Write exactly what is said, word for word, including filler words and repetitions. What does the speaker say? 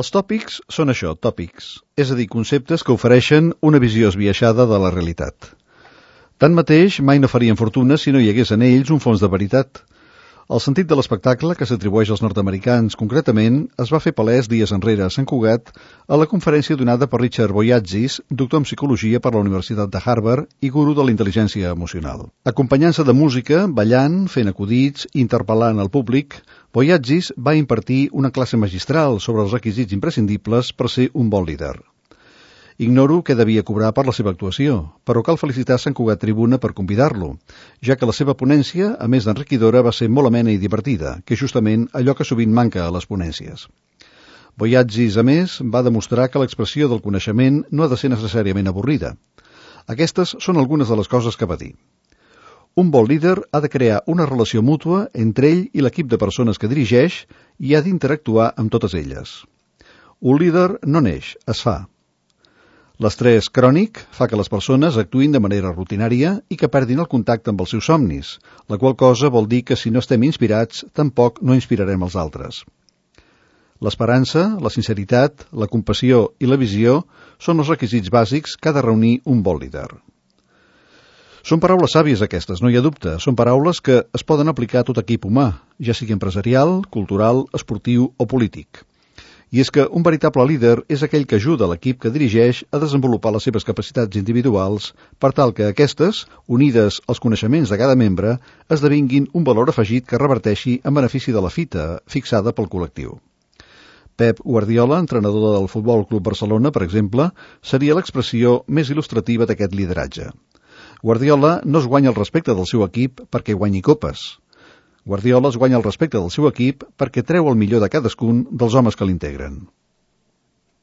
Els tòpics són això, tòpics, és a dir, conceptes que ofereixen una visió esbiaixada de la realitat. Tanmateix, mai no farien fortuna si no hi hagués en ells un fons de veritat. El sentit de l'espectacle, que s'atribueix als nord-americans concretament, es va fer palès dies enrere a Sant Cugat a la conferència donada per Richard Boyatzis, doctor en psicologia per la Universitat de Harvard i guru de la intel·ligència emocional. Acompanyant-se de música, ballant, fent acudits, interpel·lant el públic, Boyatzis va impartir una classe magistral sobre els requisits imprescindibles per ser un bon líder. Ignoro què devia cobrar per la seva actuació, però cal felicitar Sant Cugat Tribuna per convidar-lo, ja que la seva ponència, a més d'enriquidora, va ser molt amena i divertida, que és justament allò que sovint manca a les ponències. Boyatzis, a més, va demostrar que l'expressió del coneixement no ha de ser necessàriament avorrida. Aquestes són algunes de les coses que va dir. Un bon líder ha de crear una relació mútua entre ell i l'equip de persones que dirigeix i ha d'interactuar amb totes elles. Un líder no neix, es fa. L'estrès crònic fa que les persones actuïn de manera rutinària i que perdin el contacte amb els seus somnis, la qual cosa vol dir que si no estem inspirats, tampoc no inspirarem els altres. L'esperança, la sinceritat, la compassió i la visió són els requisits bàsics que ha de reunir un bon líder. Són paraules sàvies aquestes, no hi ha dubte. Són paraules que es poden aplicar a tot equip humà, ja sigui empresarial, cultural, esportiu o polític. I és que un veritable líder és aquell que ajuda l'equip que dirigeix a desenvolupar les seves capacitats individuals per tal que aquestes, unides als coneixements de cada membre, esdevinguin un valor afegit que reverteixi en benefici de la fita fixada pel col·lectiu. Pep Guardiola, entrenador del Futbol Club Barcelona, per exemple, seria l'expressió més il·lustrativa d'aquest lideratge. Guardiola no es guanya el respecte del seu equip perquè guanyi copes. Guardiola es guanya el respecte del seu equip perquè treu el millor de cadascun dels homes que l'integren.